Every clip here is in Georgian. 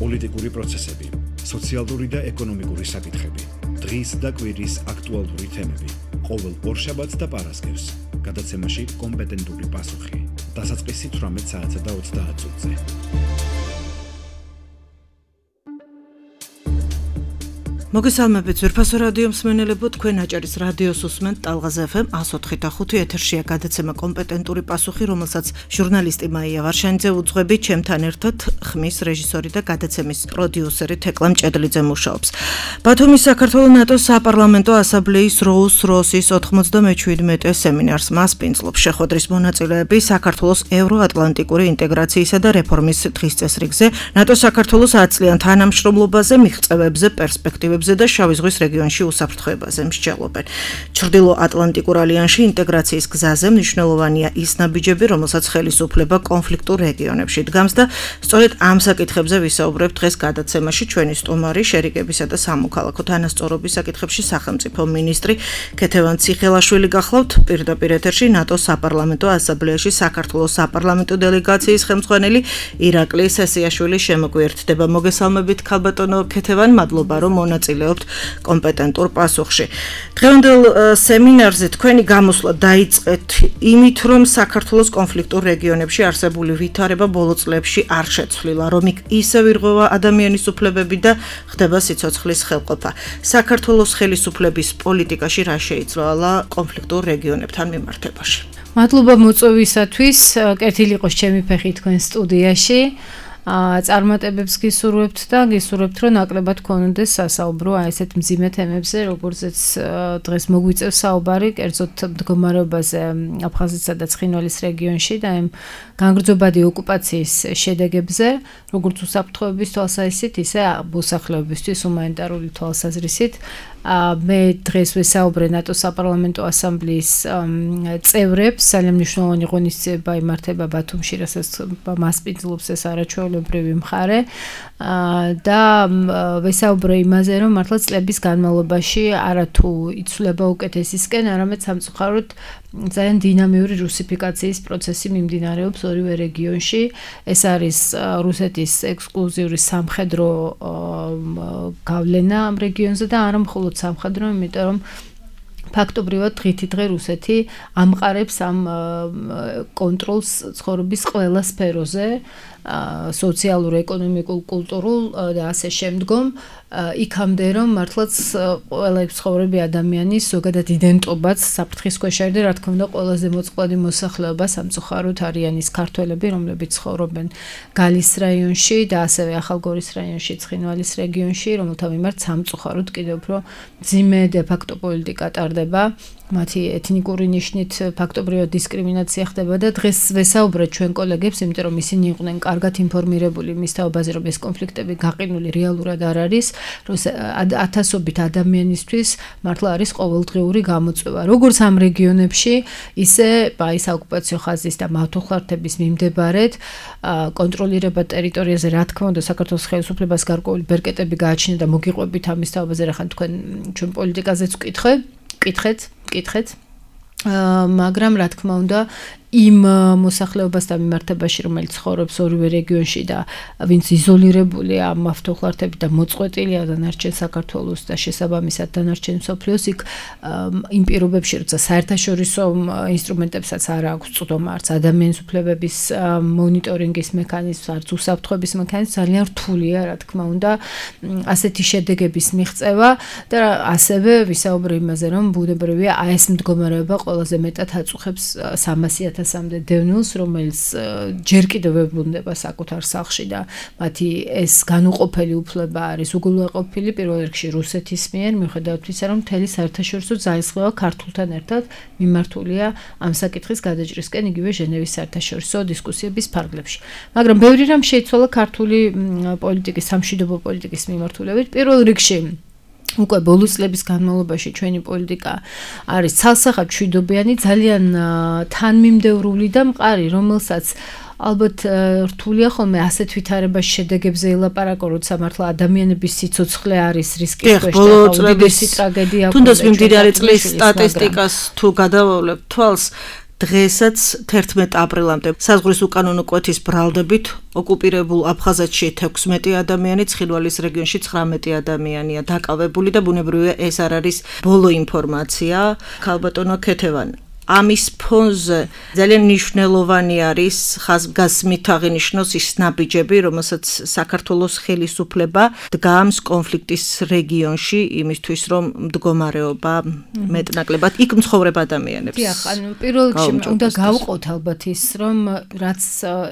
პოლიტიკური პროცესები, სოციალური და ეკონომიკური საკითხები, დღის და კვირის აქტუალური თემები, ყოველ ორშაბათს და პარასკევს, გადაცემაში კომპეტენტური პასუხი, დასაწყისი 18 საათსა და 30 წუთზე. მოგესალმებით ძვირფასო რადიო მსმენელებო, თქვენ აჭარის რადიოს უსმენთ ტალღაზე FM 104.5 ეთერშია გადაცემა კომპეტენტური პასუხი, რომელსაც ჟურნალისტი მაია ვარშანიძე უძღვები, ჩემთან ერთად ხმის რეჟისორი და გადაცემის პროდიუსერი თეკლა მჭედლიძე მუშაობს. ბათუმის საქართველოს ნატოს საპარლამენტო ასამბლეის როუს-როსის 97 სემინარს მასპინძლობს შეხვედრის მონაწილეები საქართველოს ევროატლანტიკური ინტეგრაციისა და რეფორმის დღის წესრიგზე, ნატოს საქართველოს 10 წლიან თანამშრომლობაზე, მიღწევებზე, პერსპექტივებზე და შავი ზღვის რეგიონში უსაფრთხოებაზე მსჯელობენ. ჩრდილო-ატლანტიკურ ალიანსში ინტეგრაციის გზაზე მნიშვნელოვანია ის ნაბიჯები, რომელსაც ხელისუფლება კონფლიქტურ რეგიონებში დგამს და სწორედ ამ საკითხებზე ვისაუბრებთ დღეს გადაცემაში. ჩვენი სტუმარი შერიგებისა და სამოქალაქო თანასწორობის საკითხებში სახელმწიფო მინისტრი ქეთევან ციხელაშვილი გახლავთ. პირდაპირ ეთერში ნატოს საპარლამენტო ასამბლეაში საქართველოს საპარლამენტო დელეგაციის ხელმძღვანელი ირაკლი სესიაშვილი შემოგვიერთდება. მოგესალმებით ქალბატონო ქეთევან, მადლობა რომ მონაწილეობთ კომპეტენტურ პასუხში. დღევანდელ სემინარზე თქვენი გამოსვლა დაიწყეთ იმით, რომ საქართველოს კონფლიქტურ რეგიონებში არსებული ვითარება ბოლო წლებში არ შეცვლილა, რომ ისევ ირღვევა ადამიანის უფლებები და ხდება სიცოცხლის ხელყოფა. საქართველოს ხელისუფლების პოლიტიკაში რა შეიცვალა კონფლიქტურ რეგიონებთან მიმართებაში? მადლობა მოწვევისათვის, კეთილი იყოს ჩემი ფეხი თქვენ სტუდიაში. წარმატებებს გისურვებთ და გისურვებთ, რომ ნაკლებად გქონდეს სასაუბრო ესეთ მძიმე თემებზე, როგორზეც დღეს მოგვიწევს საუბარი, კერძოდ მდგომარეობაზე აფხაზეთსა და ცხინვალის რეგიონში და იმ განგრძობადი ოკუპაციის შედეგებზე, როგორც უსაფრთხოების თვალსაზრისით, ისე მოსახლეობისთვის ჰუმანიტარული თვალსაზრისით. მე დღეს ვესაუბრე ნატოს საპარლამენტო ასამბლეის წევრებს, ძალიან მნიშვნელოვანი ღონისძიება იმართება ბათუმში, რასაც მასპინძლობს ეს არაჩვეულებრივი მხარე და ვესაუბრე იმაზე, რომ მართლა წლების განმავლობაში არათუ იცვლება უკეთესისკენ, არამედ სამწუხაროდ ძალიან დინამიური რუსიფიკაციის პროცესი მიმდინარეობს ორივე რეგიონში. ეს არის რუსეთის ექსკლუზიური სამხედრო გავლენა ამ რეგიონზე და არა მხოლოდ სამხედრო, იმიტომ რომ ფაქტობრივად დღითი დღე რუსეთი ამყარებს ამ კონტროლს ცხოვრების ყველა სფეროზე, სოციალურ, ეკონომიკურ, კულტურულ და ასე შემდგომ, იქამდე რომ მართლაც ყველა ცხოვრები ადამიანის ზოგადად იდენტობაც საფრთხის ქვეშ არის და რა თქმა უნდა ყველაზე მოწყვლადი მოსახლეობა სამწუხაროდ არიან ის ქართველები, რომლებიც ცხოვრობენ გალის რაიონში და ასევე ახალგორის რაიონში, ცხინვალის რეგიონში, რომელთა მიმართ სამწუხაროდ კიდევ უფრო მძიმე დე-ფაქტო პოლიტიკა ტარდება. მათი ეთნიკური ნიშნით ფაქტობრივად დისკრიმინაცია ხდება და დღეს ვესაუბრეთ ჩვენ კოლეგებს, იმიტომ რომ ისინი იყვნენ კარგად ინფორმირებული მის თაობაზე, რომ ეს კონფლიქტები გაყინული რეალურად არ არის, რომ ათასობით ადამიანისთვის მართლა არის ყოველდღიური გამოწვევა. როგორც ამ რეგიონებში, ისე ის ოკუპაციო ხაზის და მავთუხლართების მიმდებარედ კონტროლირება ტერიტორიაზე, რა თქმა უნდა, საქართველოს ხელისუფლებას გარკვეული ბერკეტები გააჩნია და მოგიყვებით ამის თაობაზე, რახან თქვენ ჩვენ პოლიტიკაზეც ვკითხეთ, მაგრამ რა თქმა უნდა იმ მოსახლეობასთან მიმართებაში, რომელიც ცხოვრობს ორივე რეგიონში და ვინც იზოლირებულია მავთუხლართებით და მოწყვეტილია დანარჩენ საქართველოს და შესაბამისად დანარჩენ მსოფლიოს, იქ იმ პირობებში, როცა საერთაშორისო ინსტრუმენტებსაც არ აქვს წვდომა, არც ადამიანის უფლებების მონიტორინგის მექანიზმს, არც უსაფრთხოების მექანიზმს, ძალიან რთულია, რა თქმა უნდა, ასეთი შედეგების მიღწევა და ასევე ვისაუბრე იმაზე, რომ ბუნებრივია ეს მდგომარეობა ყველაზე მეტად აწუხებს 300,000-მდე დევნილს, რომელიც ჯერ კიდევ ვებრუნდება საკუთარ სახლში და მათი ეს განუყოფელი უფლება არის უგულვაყოფილი პირველ რიგში რუსეთის მიერ, მიუხედავად ისა, რომ მთელი საერთაშორისო ძალისხმევა ქართულთან ერთად მიმართულია ამ საკითხის გადაჭრისკენ იგივე ჟენევის საერთაშორისო დისკუსიების ფარგლებში. მაგრამ ბევრი რამ შეიცვალა ქართული პოლიტიკის, სამშვიდობო პოლიტიკის მიმართულებით. პირველ რიგში უკვე ბოლო წლების განმავლობაში ჩვენი პოლიტიკა არის ცალსახად მშვიდობიანი, ძალიან თანმიმდევრული და მყარი, რომელსაც ალბათ რთულია ხოლმე ასეთ ვითარებაში შედეგებზე ელაპარაკო, როცა მართლა ადამიანების სიცოცხლე არის რისკის ქვეშ და უდიდესი ტრაგედია. თუნდაც მიმდინარე წლის სტატისტიკას თუ გადავავლებ თვალს, დღესაც 11 აპრილამდე საზღვრის უკანონო კვეთის ბრალდებით ოკუპირებულ აფხაზეთში 16 ადამიანი, ცხინვალის რეგიონში 19 ადამიანია დაკავებული და ბუნებრივია ეს არ არის ბოლო ინფორმაცია. ქალბატონო ქეთევან, ამის ფონზე ძალიან მნიშვნელოვანი არის ხაზგასმით აღინიშნოს ის ნაბიჯები, რომელსაც საქართველოს ხელისუფლება დგამს კონფლიქტის რეგიონში იმისთვის, რომ მდგომარეობა მეტნაკლებად იქ მცხოვრებ ადამიანებს. დიახ, პირველ რიგში უნდა გავყოთ ალბათ ის, რომ რაც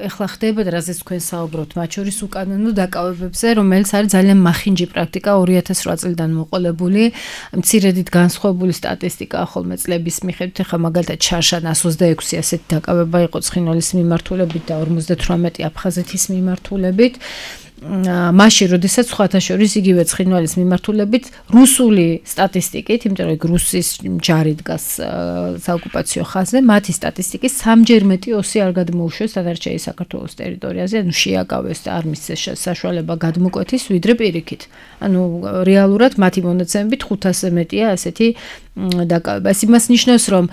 ეხლა ხდება და რაზეც თქვენ საუბრობთ, მათ შორის უკანონო დაკავებებზე, რომელიც არის ძალიან მახინჯი პრაქტიკა 2008 წლიდან მოყოლებული, მცირედით განსხვავებული სტატისტიკა ხოლმე წლების მიხედვით, ეხლა მაგალითად ჩარშან 126 ასეთი დაკავება იყო ცხინვალის მიმართულებით და 58 აფხაზეთის მიმართულებით. მაშინ, როდესაც სხვათა შორის იგივე ცხინვალის მიმართულებით რუსული სტატისტიკით, იმიტომ რომ რუსის ჯარი დგას საოკუპაციო ხაზზე, მათი სტატისტიკის 3-ჯერ მეტი ოსი არ გადმოუშვეს დანარჩენი საქართველოს ტერიტორიაზე, ანუ შეაკავეს და არ მისცეს საშუალება გადმოკვეთის, ვიდრე პირიქით. ანუ რეალურად მათი მონაცემებით 500-ზე მეტია ასეთი დაკავება. ეს იმას ნიშნავს, რომ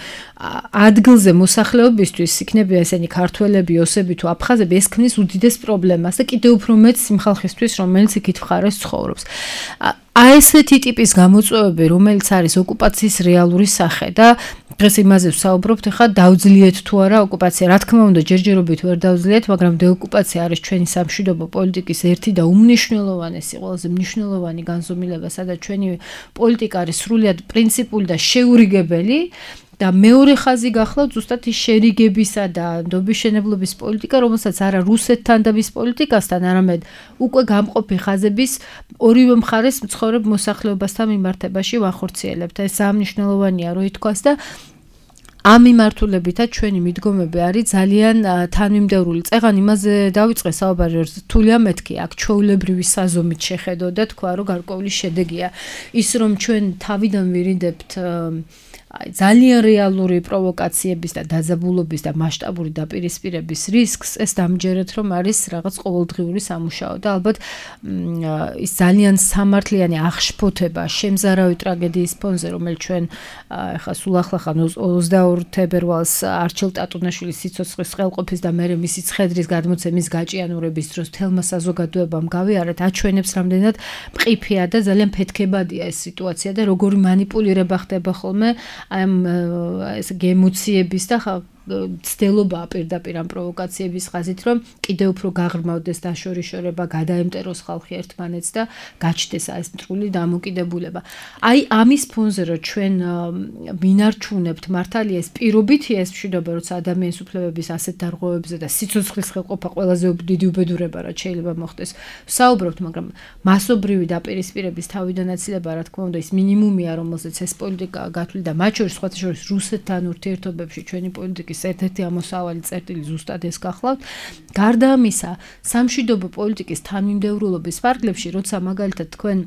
ადგილზე მოსახლეობისთვის იქნება ესენი ქართველები, ოსები თუ აფხაზები, ეს ქმნის უდიდეს პრობლემას და კიდევ უფრო მეტს იმ ხალხისთვის, რომელიც იქით მხარეს ცხოვრობს. აი ესეთი ტიპის გამოწვევები, რომელიც არის ოკუპაციის რეალური სახე და დღეს იმაზე ვსაუბრობთ, ახლა დავძლიეთ თუ არა ოკუპაცია. რა თქმა უნდა, ჯერჯერობით ვერ დავძლიეთ, მაგრამ დეოკუპაცია არის ჩვენი სამშვიდობო პოლიტიკის ერთი და უმნიშვნელოვანესი, ყველაზე მნიშვნელოვანი განზომილება, სადაც ჩვენი პოლიტიკა არის სრულიად პრინციპული და შეურიგებელი. და მეორე ხაზი გახლავთ ზუსტად ის შერიგებისა და ნდობისშენებლობის პოლიტიკა, რომელსაც არა რუსეთთან და მის პოლიტიკასთან, არამედ უკვე გამყოფი ხაზების ორივე მხარეს მცხოვრებ მოსახლეობასთან მიმართებაში ვახორციელებთ. ეს სამნიშნელოვანია, რო ითქვას და ამ მიმართულებითაც ჩვენი მიდგომები არის ძალიან თანმიმდევრული. წეგან იმაზე დავიწყე საუბარი, რომ რთულია მეთქი აქ ჩვეულებრივი საზომით შეხედო და თქვა, რომ გარკვეული შედეგია ის, რომ ჩვენ თავიდან ვირინდებთ ძალიან რეალური პროვოკაციების და დაძაბულობის და მასშტაბური დაპირისპირების რისკს, ეს დამჯერეთ, რომ არის რაღაც ყოველდღიური სამუშაო და ალბათ ის ძალიან სამართლიანი აღშფოთება შემზარავი ტრაგედიის ფონზე, რომელიც ჩვენ ახლა სულ ახლახან 22 თებერვალს არჩილ ტატუნაშვილის სიცოცხლის ხელყოფის და მერე მისი ცხედრის გადმოცემის გაჭიანურების დროს თელმა საზოგადოებამ გავიარეთ, აჩვენებს რამდენად მყიფეა და ძალიან ფეთქებადია ეს სიტუაცია და როგორი манипуლირება ხდება ხოლმე ამ ეს გემოციების და ცდილობაა პირდაპირ ამ პროვოკაციების ხაზით, რომ კიდევ უფრო გაღრმავდეს დაშორიშორება, გადაემტეროს ხალხი ერთმანეთს და გაჩნდეს ეს მტრული დამოკიდებულება. აი ამის ფონზე, რომ ჩვენ მინარჩუნებთ მართალია ეს პირობითია ეს მშვიდობა, როცა ადამიანის უფლებების ასეთ დარღვევებზე და სიცოცხლის ხელყოფა ყველაზე დიდი უბედურება რაც შეიძლება მოხდეს. ვსაუბრობთ, მაგრამ მასობრივი დაპირისპირების თავიდან აცილება, რა თქმა უნდა, ის მინიმუმია, რომელზეც ეს პოლიტიკა გათვლილი და მათ შორის სხვათა შორის რუსეთთან ურთიერთობებში ჩვენი პოლიტიკის ერთ-ერთი ამოსავალი წერტილი ზუსტად ეს გახლავთ. გარდა ამისა, სამშვიდობო პოლიტიკის თანმიმდევრულობის ფარგლებში, როცა მაგალითად თქვენ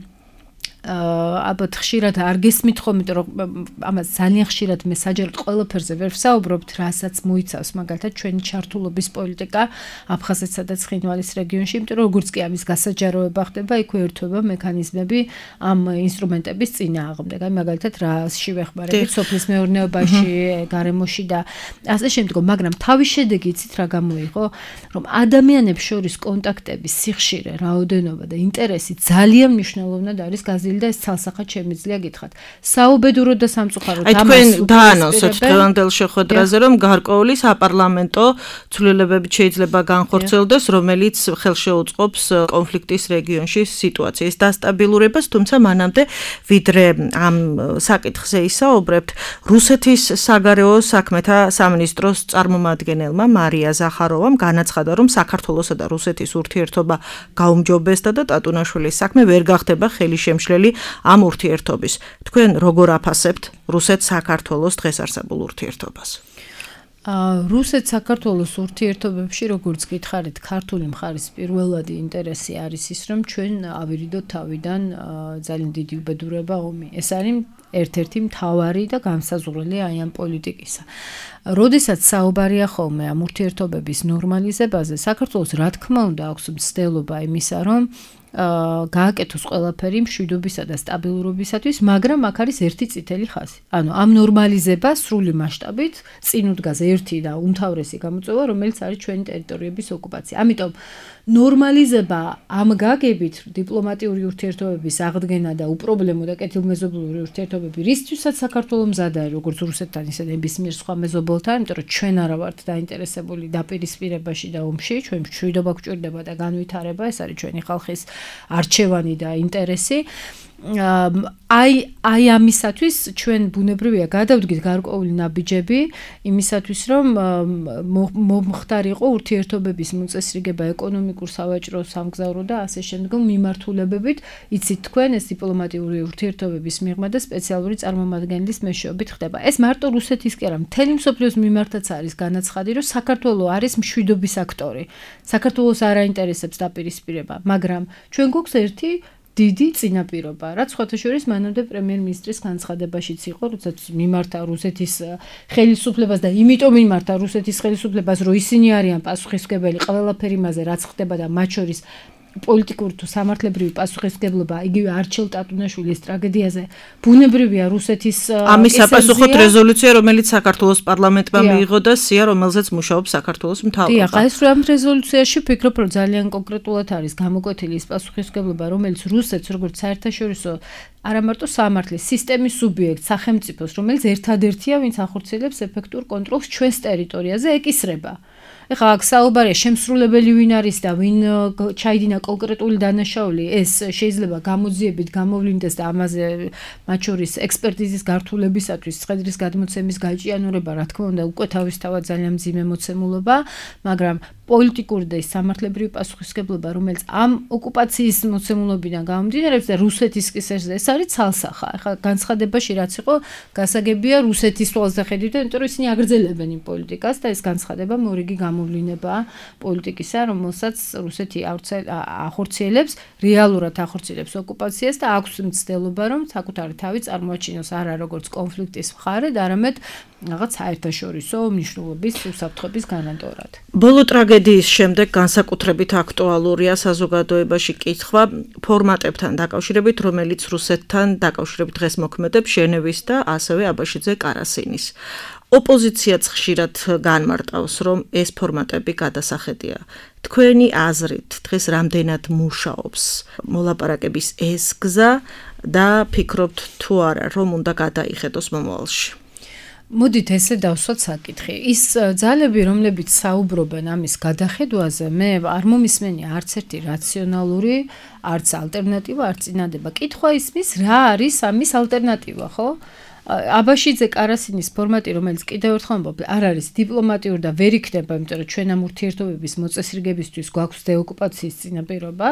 ალბათ ხშირად არ გესმით ხომ, იმიტომ რომ ამას ძალიან ხშირად მე საჯაროდ ყველაფერზე ვერ ვსაუბრობთ, რასაც მოიცავს მაგალითად ჩვენი ჩართულობის პოლიტიკა აფხაზეთსა და ცხინვალის რეგიონში, იმიტომ რომ როგორც კი ამის გასაჯაროება ხდება, იქ ერთვება მექანიზმები ამ ინსტრუმენტების წინააღმდეგ. აი მაგალითად რაში ვეხმარებით სოფლის მეურნეობაში, გარემოში და ასე შემდგომ, მაგრამ თავის შედეგი იცით რა გამოიღო, რომ ადამიანებს შორის კონტაქტების სიხშირე, რაოდენობა და ინტერესი ძალიან მნიშვნელოვნად არის გაზრდილი და ეს ცალსახად შემიძლია გითხრათ. საუბედუროდ და სამწუხაროდ ამას თქვენ დაანონსეთ დღევანდელ შეხვედრაზე, რომ გარკვეული საპარლამენტო ცვლილებები შეიძლება განხორციელდეს, რომელიც ხელშეუწყობს კონფლიქტის რეგიონში სიტუაციის დასტაბილურებას, თუმცა მანამდე ვიდრე ამ საკითხზე ისაუბრებთ, რუსეთის საგარეო საქმეთა სამინისტროს წარმომადგენელმა მარია ზახაროვამ განაცხადა, რომ საქართველოსა და რუსეთის ურთიერთობა გაუმჯობესდა და ტატუნაშვილის საქმე ვერ გახდება ხელისშემშლელი ამ ურთიერთობის. თქვენ როგორ აფასებთ რუსეთ-საქართველოს დღეს არსებულ ურთიერთობას? რუსეთ-საქართველოს ურთიერთობებში, როგორც გითხარით, ქართული მხარის პირველადი ინტერესი არის ის, რომ ჩვენ ავირიდოთ თავიდან ძალიან დიდი უბედურება ომი. ეს არის ერთ-ერთი მთავარი და განსაზღვრელი აი ამ პოლიტიკისა. როდესაც საუბარია ხოლმე ამ ურთიერთობების ნორმალიზებაზე, საქართველოს რა თქმა უნდა აქვს მცდელობა იმისა, რომ გააკეთოს ყველაფერი მშვიდობისა და სტაბილურობისათვის, მაგრამ აქ არის ერთი წითელი ხაზი. ანუ ამ ნორმალიზებას სრული მასშტაბით წინ უდგას ერთი და უმთავრესი გამოწვევა, რომელიც არის ჩვენი ტერიტორიების ოკუპაცია. ამიტომ ნორმალიზება ამ გაგებით დიპლომატიური ურთიერთობების აღდგენა და უპრობლემო და კეთილმეზობლური ურთიერთობები რისთვისაც საქართველოს მზად არის, როგორც რუსეთთან, ისე ნებისმიერ სხვა მეზობელთან, იმიტომ რომ ჩვენ არა ვართ დაინტერესებული დაპირისპირებაში და ომში, ჩვენ მშვიდობა გვჭირდება და განვითარება, ეს არის ჩვენი ხალხის არჩევანი და ინტერესი. აი ამისათვის ჩვენ ბუნებრივია გადავდგით გარკვეული ნაბიჯები იმისათვის რომ მომხდარიყო ურთიერთობების მოწესრიგება ეკონომიკურ, სავაჭრო, სამგზავრო და ასე შემდგომ მიმართულებებით, იცით თქვენ ეს დიპლომატიური ურთიერთობების მიღმა და სპეციალური წარმომადგენლის მეშვეობით ხდება. ეს მარტო რუსეთის კი არა, მთელი მსოფლიოს მიმართაც არის განაცხადი, რომ საქართველო არის მშვიდობის აქტორი. საქართველოს არ აინტერესებს დაპირისპირება, მაგრამ ჩვენ გვაქვს ერთი დიდი წინაპირობა, რაც სხვათა შორის მანამდე პრემიერ-მინისტრის განცხადებაშიც იყო, როდესაც მიმართა რუსეთის ხელისუფლებას და იმიტომ მიმართა რუსეთის ხელისუფლებას, რომ ისინი არიან პასუხისმგებელი ყველაფერი იმაზე, რაც ხდება და მათ შორის პოლიტიკური თუ სამართლებრივი პასუხისმგებლობა იგივე არჩილ ტატუნაშვილის ტრაგედიაზე ბუნებრივია რუსეთის ამის საპასუხოდ რეზოლუცია, რომელიც საქართველოს პარლამენტმა მიიღო და სია, რომელზეც მუშაობს საქართველოს მთავრობა. დიახ, ეს რომ ამ რეზოლუციაში ვფიქრობ, რომ ძალიან კონკრეტულად არის გამოკვეთილი ის პასუხისმგებლობა, რომელიც რუსეთს როგორც საერთაშორისო არა მარტო სამართლის სისტემის სუბიექტს, სახელმწიფოს, რომელიც ერთადერთია, ვინც ახორციელებს ეფექტურ კონტროლს ჩვენს ტერიტორიაზე, ეკისრება. ეხლა აქ საუბარია შემსრულებელი ვინ არის და ვინ ჩაიდინა კონკრეტული დანაშაული, ეს შეიძლება გამოძიებით გამოვლინდეს და ამაზე მათ შორის ექსპერტიზის გართულებისათვის ცხედრის გადმოცემის გაჭიანურება, რა თქმა უნდა, უკვე თავისთავად ძალიან მძიმე მოცემულობა, მაგრამ პოლიტიკური და სამართლებრივი პასუხისმგებლობა, რომელიც ამ ოკუპაციის მოცემულობიდან გამომდინარეობს და რუსეთის კისერზე, ეს არის ცალსახა. ეხლა განცხადებაში რაც იყო, გასაგებია რუსეთის თვალსა ხედავთ, იმიტომ რომ ისინი აგრძელებენ იმ პოლიტიკას და ეს განცხადება მორიგი გამოვლინებაა პოლიტიკისა, რომელსაც რუსეთი ახორციელებს, რეალურად ახორციელებს ოკუპაციას და აქვს მცდელობა, რომ საკუთარი თავი წარმოაჩინოს არა როგორც კონფლიქტის მხარედ, არამედ რაღაც საერთაშორისო მნიშვნელობის უსაფრთხოების გარანტორად. ბოლო ტრაგედიის შემდეგ განსაკუთრებით აქტუალურია საზოგადოებაში კითხვა ფორმატებთან დაკავშირებით, რომელიც რუსეთთან დაკავშირებით დღეს მოქმედებს ჟენევის და ასევე აბაშიძე კარასინის. ოპოზიციაც ხშირად განმარტავს, რომ ეს ფორმატები გადასახედია. თქვენი აზრით დღეს რამდენად მუშაობს მოლაპარაკების ეს გზა და ფიქრობთ თუ არა, რომ უნდა გადაიხედოს მომავალში? მოდით ესე დავსვათ საკითხი. ის ძალები, რომლებიც საუბრობენ ამის გადახედვაზე, მე არ მომისმენია არც ერთი რაციონალური, არც ალტერნატივა, არც წინადადება. კითხვა ისმის, რა არის ამის ალტერნატივა, ხო? აბაშიძე კარასინის ფორმატი, რომელიც კიდევ ერთხელ ვამბობ, არ არის დიპლომატიური და ვერ იქნება, იმიტომ რომ ჩვენ ამ ურთიერთობების მოწესრიგებისთვის გვაქვს დეოკუპაციის წინაპირობა.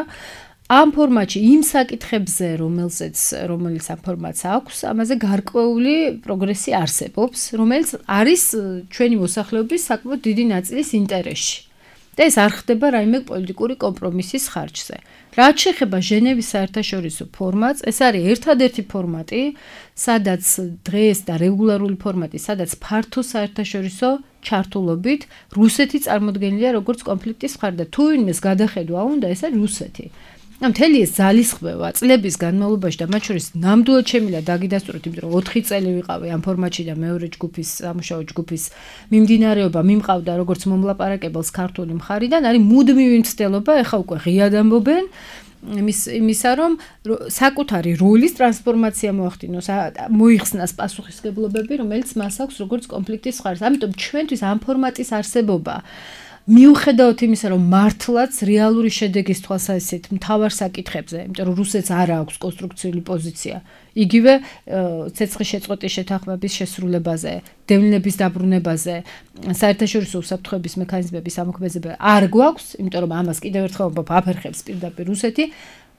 ამ ფორმატში იმ საკითხებზე, რომელიც ამ ფორმატს აქვს, ამაზე გარკვეული პროგრესი არსებობს, რომელიც არის ჩვენი მოსახლეობის საკმაოდ დიდი ნაწილის ინტერესში. და ეს არ ხდება რაიმე პოლიტიკური კომპრომისის ხარჯზე. რაც შეეხება ჟენევის საერთაშორისო ფორმატს, ეს არის ერთადერთი ფორმატი, სადაც დღეს და რეგულარული ფორმატი, სადაც ფართო საერთაშორისო ჩართულობით რუსეთი წარმოდგენილია როგორც კონფლიქტის მხარე და თუ ვინმეს გადახედვა უნდა, ეს არის რუსეთი. მთელი ეს ძალისხმევა წლების განმავლობაში და მათ შორის ნამდვილად შემიძლია დაგიდასტუროთ, იმიტომ რომ 4 წელი ვიყავი ამ ფორმატში და მეორე ჯგუფის სამუშაო ჯგუფის მიმდინარეობა მიმყავდა როგორც მომლაპარაკებელს ქართული მხარიდან, არის მუდმივი მცდელობა, ეხა უკვე ღიად ამბობენ იმისა, რომ საკუთარი როლის ტრანსფორმაცია მოახდინოს, მოიხსნას პასუხისმგებლობები, რომელიც მას აქვს როგორც კონფლიქტის მხარეს. ამიტომ ჩვენთვის ამ ფორმატის არსებობა მიუხედავად იმისა, რომ მართლაც რეალური შედეგის თვალსაზრისით მთავარ საკითხებზე, იმიტომ რომ რუსეთს არ აქვს კონსტრუქციული პოზიცია, იგივე ცეცხლის შეწყვეტის შეთანხმების შესრულებაზე, დევნილების დაბრუნებაზე, საერთაშორისო უსაფრთხოების მექანიზმების ამოქმედებაზე არ გვაქვს, იმიტომ რომ ამას კიდევ ერთხელ ვამბობ, აფერხებს პირდაპირ რუსეთი.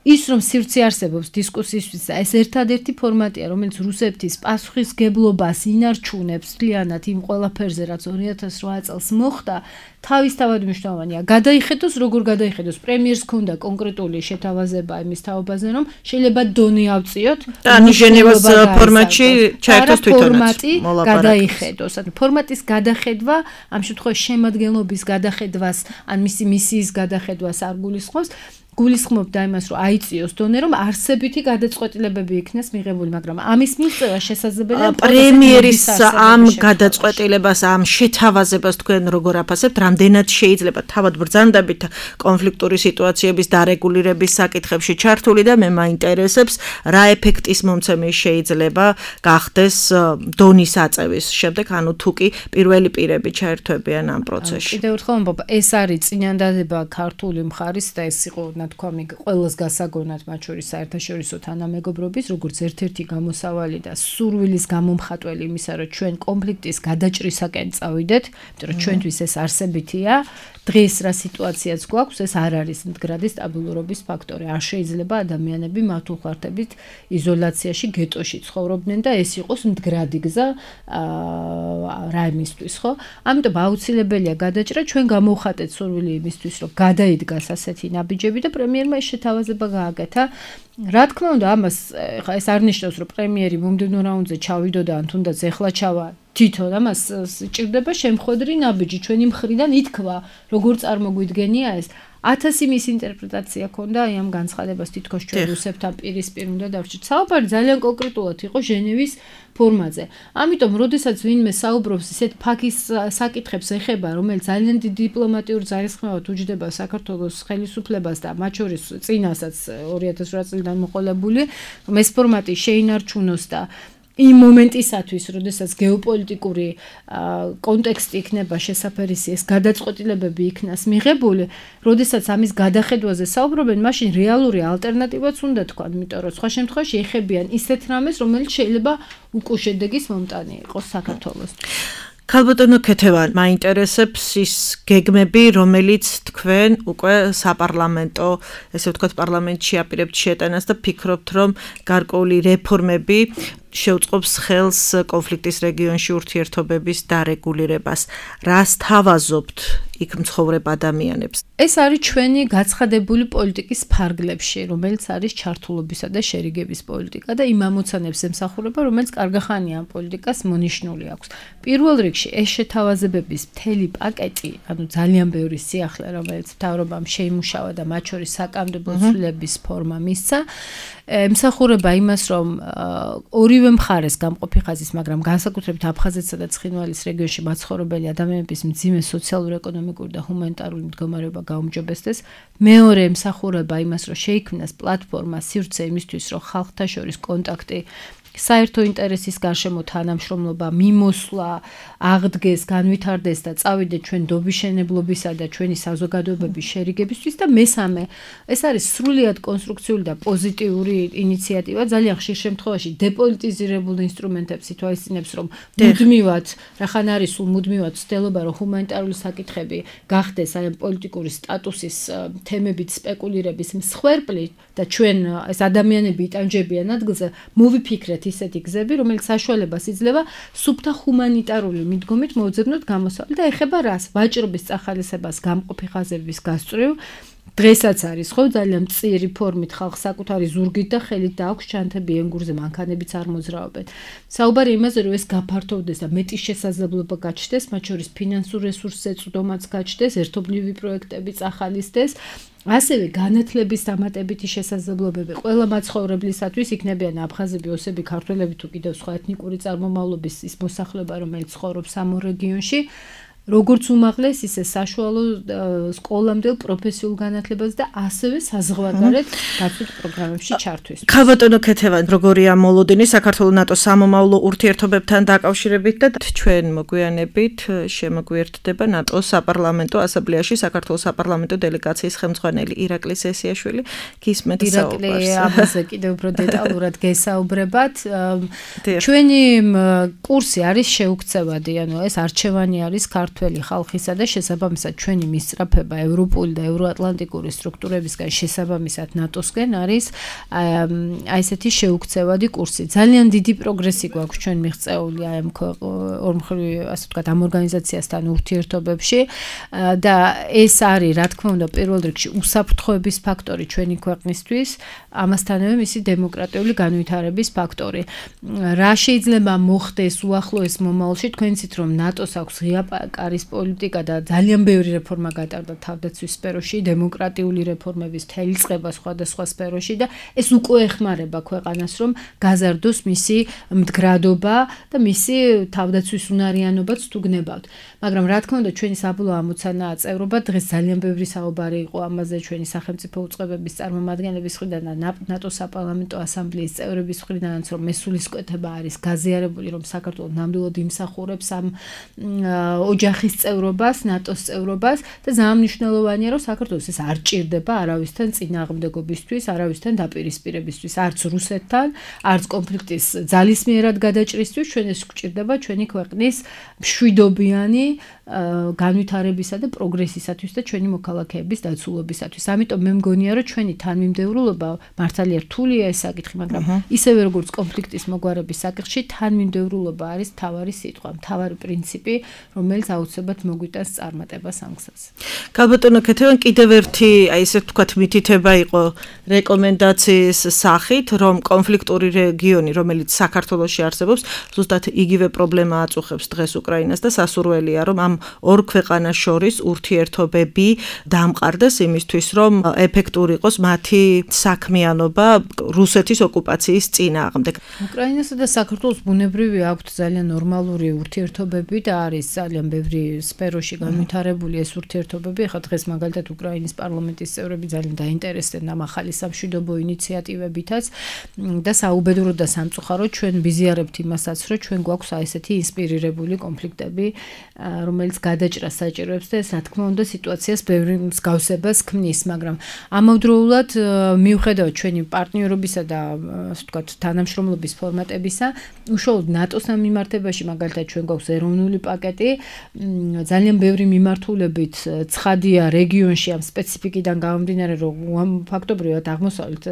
ის რომ სივრცე არსებობს დისკუსიისთვის და ეს ერთადერთი ფორმატია, რომელიც რუსეთის პასუხისგებლობას ინარჩუნებს მთლიანად იმ ყველაფერზე, რაც 2008 წელს მოხდა, თავისთავად მნიშვნელოვანია. გადაიხედოს, როგორ გადაიხედოს. პრემიერს ქონდა კონკრეტული შეთავაზება იმის თაობაზე, რომ შეიძლება დონე ავწიოთ და ჟენევას ფორმატში ჩაერთოს თვითონაც გადაიხედოს. ანუ ფორმატის გადახედვა, ამ შემთხვევაში შემადგენლობის გადახედვას, ან მისი მისიის გადახედვას არ გულისხმობს. გულისხმობდა იმას, რომ აიწიოს დონე, რომ არსებითი გადაწყვეტილებები იქნეს მიღებული, მაგრამ ამის მიღწევა შესაძლებელია პრემიერის ამ გადაწყვეტილებას, ამ შეთავაზებას თქვენ როგორ აფასებთ, რამდენად შეიძლება თავად ბრძანდებით კონფლიქტური სიტუაციების დარეგულირების საკითხებში ჩართული და მე მაინტერესებს, რა ეფექტის მომცემი შეიძლება გახდეს დონის აწევის შემდეგ, ანუ თუ კი პირველი პირები ჩაერთვებიან ამ პროცესში. კიდევ ერთხელ ამბობ, ეს არის წინანდადება ქართული მხარის და ეს იყო თქვა ყველას გასაგონად მათ შორის საერთაშორისო თანამეგობრობის როგორც ერთ-ერთი გამოსავალი და სურვილის გამომხატველი იმისა, რომ ჩვენ კონფლიქტის გადაჭრისაკენ წავიდეთ, იმიტომ რომ ჩვენთვის ეს არსებითია, დღეს რა სიტუაციაც გვაქვს, ეს არ არის მდგრადი სტაბილურობის ფაქტორი. არ შეიძლება ადამიანები მართულხარდებით იზოლაციაში, გეტოში ცხოვრობდნენ და ეს იყოს მდგრადი გზა რა იმისთვის, ხო? ამიტომ აუცილებელია გადაჭრა, ჩვენ გამოვხატეთ სურვილი იმისთვის, რომ გადაიდგას ასეთი ნაბიჯები და პრემიერმა ეს შეთავაზება გააკეთა. რა თქმა უნდა, ამას ხა ეს არ ნიშნავს, რომ პრემიერი მომდევნო რაუნდზე ჩავიდოდა, ან თუნდაც ეხლა ჩავა თვითონ, ამას ჭირდება შემხვედრი ნაბიჯი. ჩვენი მხრიდან ითქვა, როგორ წარმოგვიდგენია ეს. 1000 მის ინტერპრეტაცია ქონდა აი ამ განცხადებას, თითქოს ჩვენ რუსებთან პირისპირ უნდა დავჭირთ. საუბარი ძალიან კონკრეტულად იყო ჟენევის ფორმაზე. ამიტომ, როდესაც ვინმე საუბრობს ისეთ ფაქის საკითხებს ეხება, რომელიც ძალიან დიდი დიპლომატიურ ძალისხმევად უჯდება საქართველოს ხელისუფლებას და მათ შორის წინასაც 2008 წლიდან მოყოლებული, რომ ეს ფორმატი შეინარჩუნოს და იმ მომენტისათვის, როდესაც გეოპოლიტიკური კონტექსტი იქნება შესაფერისი, ეს გადაწყვეტილებები იქნას მიღებული, როდესაც ამის გადახედვაზე საუბრობენ, მაშინ რეალური ალტერნატივაც უნდა თქვა, იმიტომ რომ სხვა შემთხვევაში ეხებიან ისეთ რამეს, რომელიც შეიძლება უკუშედეგის მომტანი იყოს საქართველოს. ქალბატონო ქეთევან, მაინტერესებს ის გეგმები, რომელიც თქვენ უკვე საპარლამენტო, ესე ვთქვათ, პარლამენტში აპირებთ შეტანას და ფიქრობთ, რომ გარკვეული რეფორმები შეუწყობს ხელს კონფლიქტის რეგიონში ურთიერთობების დარეგულირებას. რას თავაზობთ იქ მცხოვრებ ადამიანებს? ეს არის ჩვენი გაცხადებული პოლიტიკის ფარგლებში, რომელიც არის ჩართულობისა და შერიგების პოლიტიკა და იმ ამოცანებს ემსახურება, რომელიც კარგახანია ამ პოლიტიკას მონიშნული აქვს. პირველ რიგში ეს შეთავაზებების მთელი პაკეტი, ანუ ძალიან ბევრი სიახლე, რომელიც მთავრობამ შეიმუშავა და მათ შორის საკანონმდებლო ცვლილების ფორმა მისცა, ემსახურება იმას, რომ ორივე მხარეს გამყოფი ხაზის, მაგრამ განსაკუთრებით აფხაზეთსა და ცხინვალის რეგიონში მაცხოვრებელი ადამიანების მძიმე სოციალურ-ეკონომიკური და ჰუმანიტარული მდგომარეობა გაუმჯობესდეს. მეორე ემსახურება იმას, რომ შეიქმნას პლატფორმა სივრცე იმისთვის, რომ ხალხთა შორის კონტაქტი საერთო ინტერესის გარშემო თანამშრომლობა მიმოსვლა აღდგეს, განვითარდეს და წავიდეთ ჩვენ დობიშენებლობისა და ჩვენი საზოგადოებების შერიგებისთვის და მესამე, ეს არის სრულიად კონსტრუქციული და პოზიტიური ინიციატივა, ძალიან ხშირ შემთხვევაში დეპოლიტიზირებულ ინსტრუმენტებს ითვალისწინებს, რომ მუდმივად, რახან არის სულ მუდმივად ცდილობა, რომ ჰუმანიტარული საკითხები გახდეს აი ამ პოლიტიკური სტატუსის თემებით სპეკულირების მსხვერპლი და ჩვენ ეს ადამიანები იტანჯებიან ადგილზე, მოვიფიქრეთ ისეთი გზები, რომელიც საშუალებას იძლევა სუფთა ჰუმანიტარული მიდგომით მოვძებნოთ გამოსავალი და ეხება რას? ვაჭრობის წახალისებას, გამყოფი ხაზების გასწვრივ. დღესაც არის ხო ძალიან მწირი ფორმით ხალხს საკუთარი ზურგით და ხელით და აქვს ჩანთები ენგურზე, მანქანებიც არ მოძრაობენ. საუბარი იმაზე, რომ ეს გაფართოვდეს და მეტი შესაძლებლობა გაჩნდეს, მათ შორის ფინანსურ რესურსზე წვდომაც გაჩნდეს, ერთობლივი პროექტები წახალისდეს. ასევე განათლების დამატებითი შესაძლებლობები ყველა მაცხოვრებლისათვის იქნებიან აფხაზები, ოსები, ქართველები თუ კიდევ სხვა ეთნიკური წარმომავლობის ის მოსახლეობა, რომელიც ცხოვრობს ამ რეგიონში. როგორც უმაღლეს, ისე საშუალო სკოლამდელ პროფესიულ განათლებას და ასევე საზღვარგარეთ გაწვით პროგრამებში ჩართვის. ქალბატონო ქეთევან, როგორია მოლოდინი საქართველოს ნატოს სამომავლო ურთიერთობებთან დაკავშირებით და ჩვენ მოგვიანებით შემოგვიერთდება ნატოს საპარლამენტო ასამბლეაში საქართველოს საპარლამენტო დელეგაციის ხელმძღვანელი ირაკლი სესიაშვილი. გისმენთ საუბარს. ირაკლი ამაზე კიდევ უფრო დეტალურად გესაუბრებათ. ჩვენი კურსი არის შეუქცევადი, ანუ ეს არჩევანი არის ქართველი ხალხისა და შესაბამისად ჩვენი მისწრაფება ევროპული და ევროატლანტიკური სტრუქტურებისგან შესაბამისად ნატოსკენ არის აი ესეთი შეუქცევადი კურსი. ძალიან დიდი პროგრესი გვაქვს ჩვენ მიღწეული აი ამ ორმხრივ ასე ვთქვათ ამ ორგანიზაციასთან ურთიერთობებში და ეს არის რა თქმა უნდა პირველ რიგში უსაფრთხოების ფაქტორი ჩვენი ქვეყნისთვის, ამასთანავე მისი დემოკრატიული განვითარების ფაქტორი. რა შეიძლება მოხდეს უახლოეს მომავალში, თქვენ იცით რომ ნატოს აქვს ღია კარის პოლიტიკა და ძალიან ბევრი რეფორმა გატარდა თავდაცვის სფეროში, დემოკრატიული რეფორმების მთელი წყება სხვადასხვა სფეროში და ეს უკვე ეხმარება ქვეყანას რომ გაზარდოს მისი მდგრადობა და მისი თავდაცვის უნარიანობაც თუ გნებავთ. მაგრამ რა თქმა უნდა ჩვენი საბოლოო ამოცანაა წევრობა, დღეს ძალიან ბევრი საუბარი იყო ამაზე ჩვენი სახელმწიფო უწყებების წარმომადგენლების მხრიდან და ნატოს საპარლამენტო ასამბლეის წევრების მხრიდანაც რომ მესულისკვეთება არის გაზიარებული რომ საქართველო ნამდვილად იმსახურებს ამ ოჯახის წევრობას, ნატოს წევრობას და ძალიან მნიშვნელოვანია რომ საქართველოს ეს არ ჭირდება არავისთან წინააღმდეგობისთვის, არავისთან დაპირისპირებისთვის, არც რუსეთთან, არც კონფლიქტის ძალისმიერად გადაჭრისთვის, ჩვენ ეს გვჭირდება ჩვენი ქვეყნის მშვიდობიანი განვითარებისა და პროგრესისათვის და ჩვენი მოქალაქეების დაცულობისათვის. ამიტომ მე მგონია რომ ჩვენი თანმიმდევრულობა მართალია რთულია ეს საკითხი, მაგრამ ისევე როგორც კონფლიქტის მოგვარების საკითხში თანმიმდევრულობა არის მთავარი სიტყვა, მთავარი პრინციპი, რომელიც აუცილებლად მოგვიტანს წარმატებას ამ გზაზე. გალბატონო ქეთევან კიდევ ერთი აი ესე ვთქვათ მითითება იყო რეკომენდაციის სახით, რომ კონფლიქტური რეგიონი, რომელიც საქართველოში არსებობს, ზუსტად იგივე პრობლემა აწუხებს დღეს უკრაინას და სასურველია, რომ ამ ორ ქვეყანას შორის ურთიერთობები დამყარდეს იმისთვის, რომ ეფექტური იყოს მათი საქმიანობა რუსეთის ოკუპაციის წინააღმდეგ. უკრაინასა და საქართველოს ბუნებრივი აქვთ ძალიან ნორმალური ურთიერთობები და არის ძალიან ბევრი სფეროში განვითარებული ეს ურთიერთობები. ახლა დღეს მაგალითად უკრაინის პარლამენტის წევრები ძალიან დაინტერესდნენ ამ ახალი სამშვიდობო ინიციატივებითაც და საუბედუროდ და სამწუხაროდ ჩვენ ვიზიარებთ იმასაც, რომ ჩვენ გვაქვს აი ესეთი ინსპირირებული კონფლიქტები, რომელიც გადაჭრას საჭიროებს და ეს რა თქმა უნდა სიტუაციას ბევრი მსგავსებას ქმნის, მაგრამ ამავდროულად მიუხედავად ჩვენი პარტნიორობისა და ასე ვთქვათ თანამშრომლობის ფორმატებისა, უშუალოდ ნატოსთან მიმართებაში მაგალითად ჩვენ გვაქვს ეროვნული პაკეტი, ძალიან ბევრი მიმართულებით ცხადია რეგიონში ამ სპეციფიკიდან გამომდინარე, რომ ფაქტობრივად აღმოსავლეთ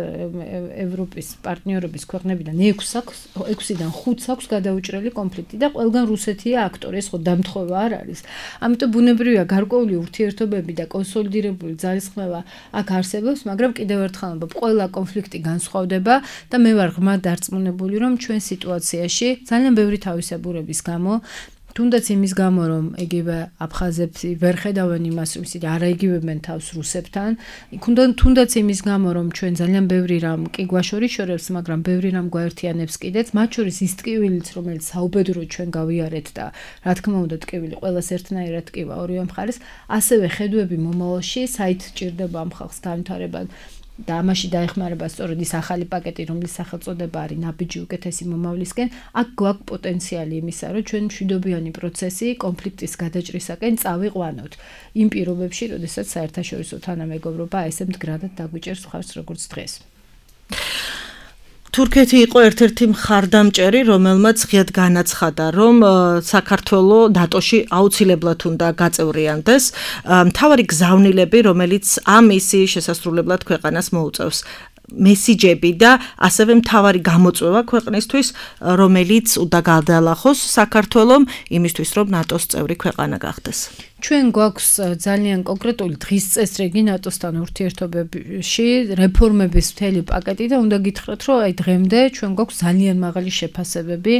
ევროპის პარტნიორობის ქვეყნებიდან 6-დან 5-ს აქვს გადაუჭრელი კონფლიქტი და ყველგან რუსეთია აქტორი, ეს ხო დამთხოვა არ არის. ამიტომ ბუნებრივია გარკვეული ურთიერთობები და კონსოლიდირებული ძალისხმევა აქ არსებობს, მაგრამ კიდევ ერთხელ ყველა კონფლიქტი განსხვავდება და მე ვარ ღრმად დარწმუნებული, რომ ჩვენ სიტუაციაში ძალიან ბევრი თავისებურების გამო თუნდაც იმის გამო, რომ იგივე აფხაზები ვერ ხედავენ იმას, რომ ისინი არაიგივებენ თავს რუსებთან, თუნდაც იმის გამო, რომ ჩვენ ძალიან ბევრი რამ კი გვაშორიშორებს, მაგრამ ბევრი რამ გვაერთიანებს კიდეც, მათ შორის ის ტკივილიც, რომელიც საუბედუროდ ჩვენ გავიარეთ და რა თქმა უნდა ტკივილი ყველას ერთნაირად ტკივა ორივე მხარეს, ასევე ხედვები მომავალში, საით ჭირდება ამ ხალხს განვითარება და ამაში დაეხმარება სწორედ ის ახალი პაკეტი, რომლის სახელწოდება არის ნაბიჯი უკეთესი მომავლისკენ, აქ გვაქვს პოტენციალი იმისა, რომ ჩვენ მშვიდობიანი პროცესი კონფლიქტის გადაჭრისაკენ წავიყვანოთ. იმ პირობებში, როდესაც საერთაშორისო თანამეგობრობა ესე მდგრადად დაგვიჭერს მხარს როგორც დღეს. თურქეთი იყო ერთ-ერთი მხარდამჭერი, რომელმაც ღიად განაცხადა, რომ საქართველოს ნატოში აუცილებლად უნდა გაწევრიანდეს. მთავარი გზავნილები, რომელიც ამ მისიის შესასრულებლად ქვეყანას მოუწევს. მესიჯები და ასევე მთავარი გამოწვევა ქვეყნისთვის, რომელიც უნდა გადაალახოს საქართველოს იმისთვის, რომ ნატოს წევრი ქვეყანა გახდეს. ჩვენ გვაქვს ძალიან კონკრეტული დღის წესრიგი ნატოსთან ურთიერთობებში, რეფორმების მთელი პაკეტი და უნდა გითხრათ, რომ აი დღემდე ჩვენ გვაქვს ძალიან მაღალი შეფასებები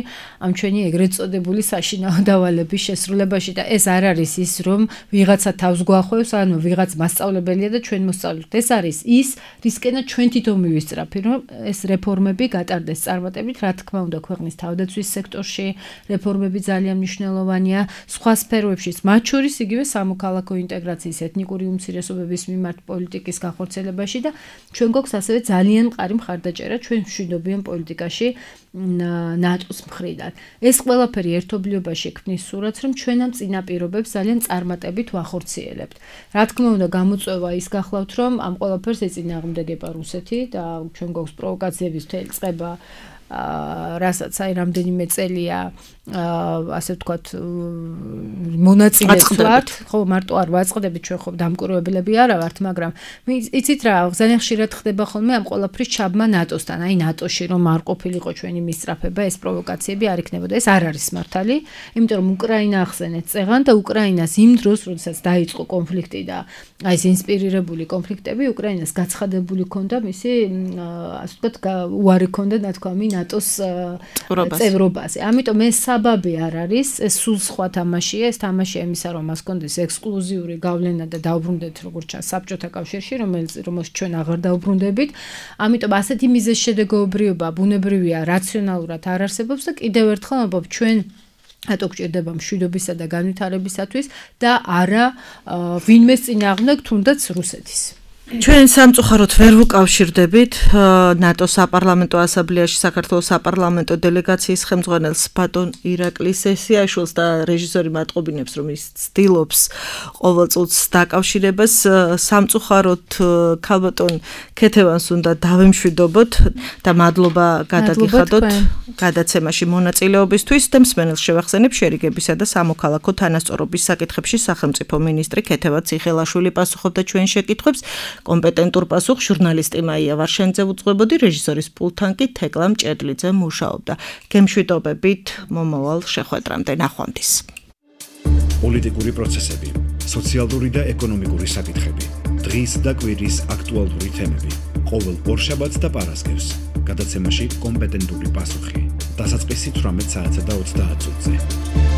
ამ ჩვენი ეგრეთ წოდებული საშინაო დავალების შესრულებაში და ეს არ არის ის, რომ ვიღაცა თავს გვახვევს, ანუ ვიღაც მასწავლებელია და ჩვენ მოსწავლეთ. ეს არის ის, რისკენაც ჩვენ თვითონ მივისწრაფი, რომ ეს რეფორმები გატარდეს წარმატებით, რა თქმა უნდა, ქვეყნის თავდაცვის სექტორში რეფორმები ძალიან მნიშვნელოვანია, სხვა სფეროებშიც, მათ შორის იგივე სამოქალაქო ინტეგრაციის ეთნიკური უმცირესობების მიმართ პოლიტიკის განხორციელებაში და ჩვენ გვაქვს ასევე ძალიან მყარი მხარდაჭერა ჩვენ მშვიდობიან პოლიტიკაში ნატოს მხრიდან. ეს ყველაფერი ერთობლიობაში ქმნის სურათს, რომ ჩვენ ამ წინაპირობებს ძალიან წარმატებით ვახორციელებთ. რა თქმა უნდა, გამოწვევა ის გახლავთ, რომ ამ ყველაფერს ეწინააღმდეგება რუსეთი და ჩვენ გვაქვს პროვოკაციების მთელი წყება რასაც აი რამდენიმე წელია ასე ვთქვათ მონაწილეც ვართ, ხო მარტო არ ვაწყდებით ჩვენ ხო დამკვირვებლები არა ვართ, მაგრამ იცით რა, ძალიან ხშირად ხდება ხოლმე ამ ყველაფრის ჩაბმა ნატოსთან, აი ნატოში რომ არ ყოფილიყო ჩვენი მისწრაფება, ეს პროვოკაციები არ იქნებოდა, ეს არ არის მართალი, იმიტომ რომ უკრაინა ახსენეთ წეღან და უკრაინას იმ დროს, როდესაც დაიწყო კონფლიქტი და აი ეს ინსპირირებული კონფლიქტები, უკრაინას გაცხადებული ჰქონდა მისი ასე ვთქვათ უარი ჰქონდა ნათქვამი ნატოს წევრობაზე. ამიტომ ეს საბაბი არ არის, ეს სულ სხვა თამაშია, ეს თამაშია იმისა, რომ მას ჰქონდეს ექსკლუზიური გავლენა და დაუბრუნდეთ როგორც ჩანს საბჭოთა კავშირში, რომელსაც ჩვენ აღარ დაუბრუნდებით. ამიტომ ასეთი მიზეზშედეგობრიობა ბუნებრივია, რაციონალურად არ არსებობს და კიდევ ერთხელ ამბობ ჩვენ რატო გჭირდება მშვიდობისა და განვითარებისათვის და არა ვინმეს წინააღმდეგ თუნდაც რუსეთის. ჩვენ სამწუხაროდ ვერ ვუკავშირდებით ნატოს საპარლამენტო ასამბლეაში საქართველოს საპარლამენტო დელეგაციის ხელმძღვანელს ბატონ ირაკლი სესიაშვილს და რეჟისორი მატყობინებს რომ ის ცდილობს ყოველწუთს დაკავშირებას სამწუხაროდ ქალბატონ ქეთევანს უნდა დავემშვიდობოთ და მადლობა გადაგიხადოთ გადაცემაში მონაწილეობისთვის და მსმენელს შევახსენებ შერიგებისა და სამოქალაქო თანასწორობის საკითხებში სახელმწიფო მინისტრი ქეთევა ციხელაშვილი პასუხობდა ჩვენ შეკითხვებს. კომპეტენტურ პასუხს ჟურნალისტი მაია ვარშენძე უძღვებოდი, რეჟისორის პულტთან კი თეკლა მჭედლიძე მუშაობდა. გემშვიდობებით მომავალ შეხვედრამდე, ნახვამდის. პოლიტიკური პროცესები, სოციალური და ეკონომიკური საკითხები, დღის და კვირის აქტუალური თემები. ყოველ ორშაბათს და პარასკევს გადაცემაში კომპეტენტური პასუხი. დასაწყისი 18 საათსა და 30 წუთზე.